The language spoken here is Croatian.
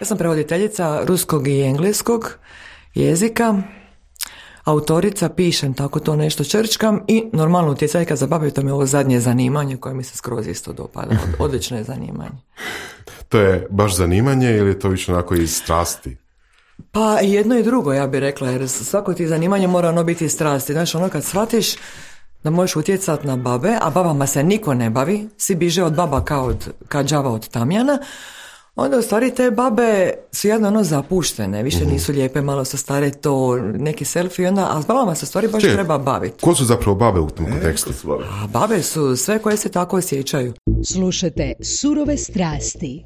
Ja sam prevoditeljica ruskog i engleskog jezika, autorica, pišem tako to nešto, črčkam i normalno utjecajka za babe, to mi je ovo zadnje zanimanje koje mi se skroz isto dopada. Odlično je zanimanje. To je baš zanimanje ili je to više onako iz strasti? Pa jedno i drugo, ja bih rekla, jer svako ti zanimanje mora ono biti iz strasti. Znaš, ono kad shvatiš da možeš utjecati na babe, a babama se niko ne bavi, svi biže od baba kao đava od tamjana, onda u stvari te babe su jedno ono zapuštene, više nisu lijepe, malo su stare, to neki selfie, onda, a s babama se u stvari baš treba baviti. Ko su zapravo babe u tom kontekstu? A babe su sve koje se tako osjećaju. Slušate Surove strasti.